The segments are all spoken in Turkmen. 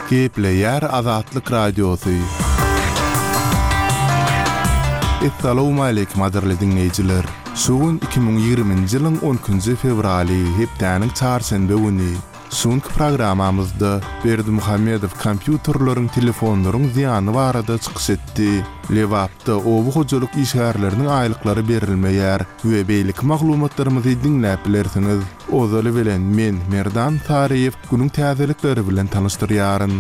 Gepleýär Azatlyk Radiosy. Essalawmaleýkim gadyrly diňleýjiler! Şu gün 2020-nji ýylyň on ikinji fewraly, hepdäniň çarşenbe güni. Şu günki programmamyzda Berdimuhamedow kompýuterleriň, telefonlaryň zyýany barada çykyş etdi. Lebapda oba hojalyk işgärleriniň aýlyklary berilmeýär we beýleki maglumatlarymyzy diňläp bilersiňiz. Ozaly bilen men, Merdan Saryýew, günüň täzelikleri bilen tanyşdyrýaryn.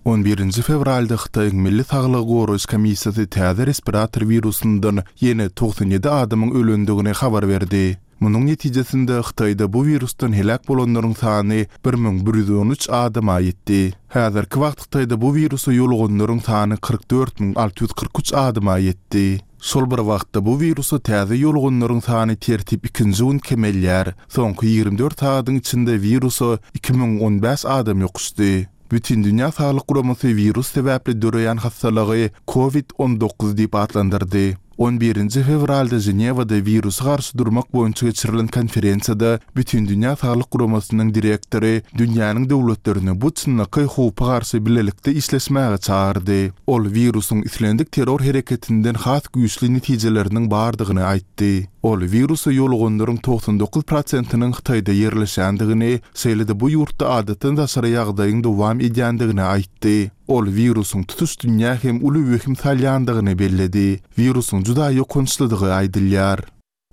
On birinji fewralda Hytaýyň Milli saglygy goraýyş komissiýasy täze respirator wirusyndan ýene 97 adamyň ölendigini habar berdi. Munuň netijesinde Hytaýda bu wirusdan heläk bolanlaryň sany 1113 adama ýetdi. Häzirki wagt Hytaýda bu wirusa ýoluganlaryň sany 44 643 adama ýetdi. Şol bir wagtda bu wirusa täze ýoluganlaryň sany tertip ikinji gün kemelýär. Soňky 24 sagadyň içinde wirusa 2015 adam ýokuşdy. Bütindünýä Saglyk Guramasy wirus sebäpli döreýän hassalygy Covid 19 diýip atlandyrdy. On birinji fewralda Ženewada wirusa garşy durmak boýunça geçirilen konferensiýada Bütindünýä Saglyk Guramasynyň direktory dünýäniň döwletlerini bu çynlakaý howpa garşy bilelikde işleşmäge çagyrdy. Ol wirusyň islendik terror hereketinden has güýçli netijeleriniň bardygyny aýtdy. Ol wirusa ýoluganlaryň 99 prosentiniň Hytaýda ýerleşýändigini, şeýle-de bu ýurtda adatdan daşary ýagdaýyň dowam edýändigini aýtdy. Ol wirusyň tutuş dünýä hem uly wehim salýandygyny belledi. Wirusyň juda ýokançlydygy aýdylýar.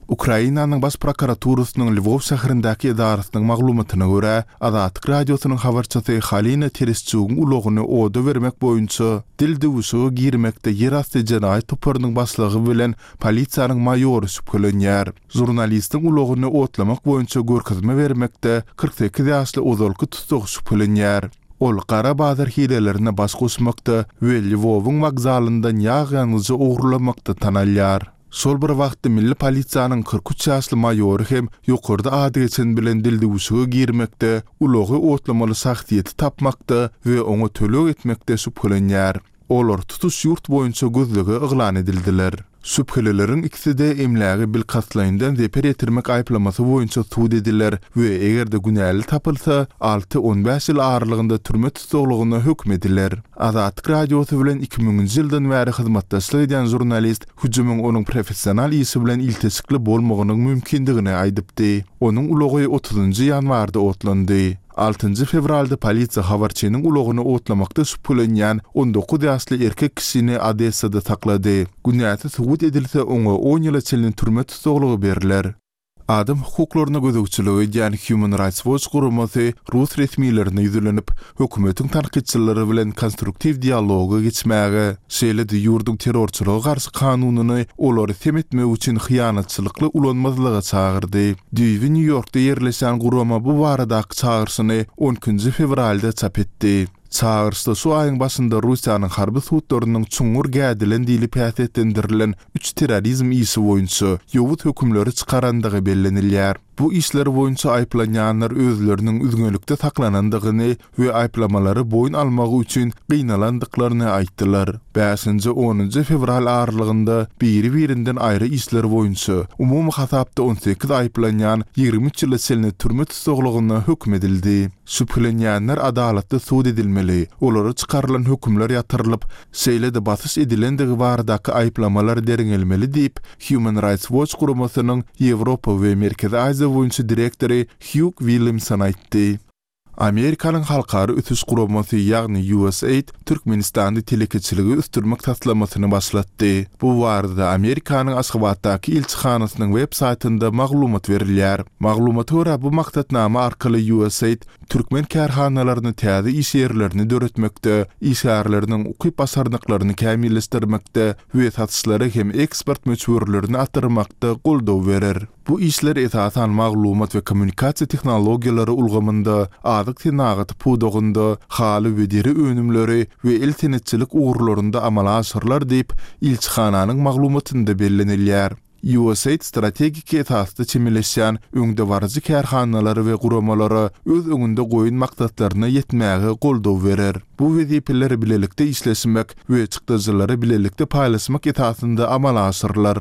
Ukrainanyň Baş prokuraturasynyň Lwow şäherindäki edarasynyň maglumatyna görä, Azatlyk Radiosynyň habarçysy Halina Tereşçugyň ulagyny oda bermek boýunça dil döwüşige girmekde ýerasty jenaýat toparynyň başlygy bilen polisiýanyň maýory şübhelenýär. Žurnalistiň ulagyny otlamak boýunça görkezme bermekde 48 ýaşly ozalky tussag şübhelenýär. Ol gara bazar hilelerine baş goşmakda we Lwowyň wokzalyndan ýag ýangyjy ogurlamakda tanalýar. Şol bir wagtda milli polisiýanyň 43 ýaşly maýory hem ýokarda ady geçen bilen dildüwşüge girmekde, ulagy otlamaly şahsyýeti tapmakda we oňa töleg etmekde şübhelenýär. Olar tutuş ýurt boýunça gözlege yglan edildiler. Şübhelileriň ikisi-de emläge bilkastlaýyndan zeper ýetirmek aýyplamasy boýunça sud ediler we eger-de günäli tapylsa, alty, on bäş ýyl aralygynda türme tussaglygyna höküm ediler. Azatlyk Radiosy bilen iki müňünji ýyldan bäri hyzmatdaşlyk edýän žurnalist hüjümiň onuň professional işi bilen ilteşikli bolmagynyň mümkindigini aýdypdy. Onuň ulagy otuzynjy ýanwarda otlandy. Altynjy fewralda polisiýa habarçynyň ulagyny otlamakda şübhelenýän 19 ýaşly erkek kişini Odessada saklady. Günäsi subut edilse, oňa on ýyla çenli türme tussaglygy berler. Adam hukuklaryna gözegçilik edýän Human Rights Watch guramasy rus resmilerine ýüzlenip, hökümetiň tankytçylary bilen konstruktiw dialoga geçmäge, şeýle-de ýurduň terrorçylyga garşy kanunyny olary sem etmek üçin hyýanatçylykly ulanmazlyga çagyrdy. Düýbi Nýu-Ýorkda ýerleşýän gurama bu baradaky çagyryşyny on ikinji fewralda çap etdi. Çagyryşda şu aýyň başynda Russiýanyň harby sudlarynyň çuňňur gädilen diýlip häsiýetlendirilen üç terrorizm işi boýunça ýowuz hökümleri çykarandygy bellenilýär. Bu işler boýunça aýyplanýanlar özleriniň üzňelikde saklanandygyny we aýyplamalary boýun almagy üçin gynalandyklaryny aýtdylar. Bäşinji, onunjy fewral aralygynda biri-birinden aýry işler boýunça, umumy hasapda 18 aýyplanýan 23 ýyla çenli türme tussaglygyna höküm edildi. Şübhelenýänler adalatly sud edilmeli, olara çykarylan hökümler ýatyrylyp, şeýle-de basyş edilendigi baradaky aýyplamalar derňelmeli diýip, Human Rights Watch guramasynyň Ýewropa we Merkezi Aziýa boýunça direktory Hýug Williamson aýtdy. Amerikanyň Halkara ösüş guramasy, ýagny USAID Türkmenistanda telekeçiligi ösdürmek taslamasyny başlatdy. Bu barada Amerikanyň Aşgabatdaky ilçihanasynyň web saýtynda maglumat berilýär. Maglumata görä, bu maksatnama arkaly USAID türkmen kärhanalaryny täze iş ýerlerini döretmekde, işgärleriniň ukyp-başarnyklaryny kämilleşdirmekde we satyşlary hem eksport möçberlerini artdyrmakda goldaw berer. Bu işler esasan maglumat we kommunikasiýa tehnologiýalary ulgamynda, azyk senagaty pudagynda, haly we deri önümleri we el senetçilik ugurlarynda amala aşyrylar diýip, ilçihananyň maglumatynda bellenilýär. USAID strategik esasda çemeleşýän öňdebaryjy kärhanalara we guramalara öz öňünde goýan maksatlaryna ýetmäge goldaw berer. Bu wezipeler bilelikde işleşmek we çykdajylary bilelikde paýlaşmak esasynda amala aşyrylar.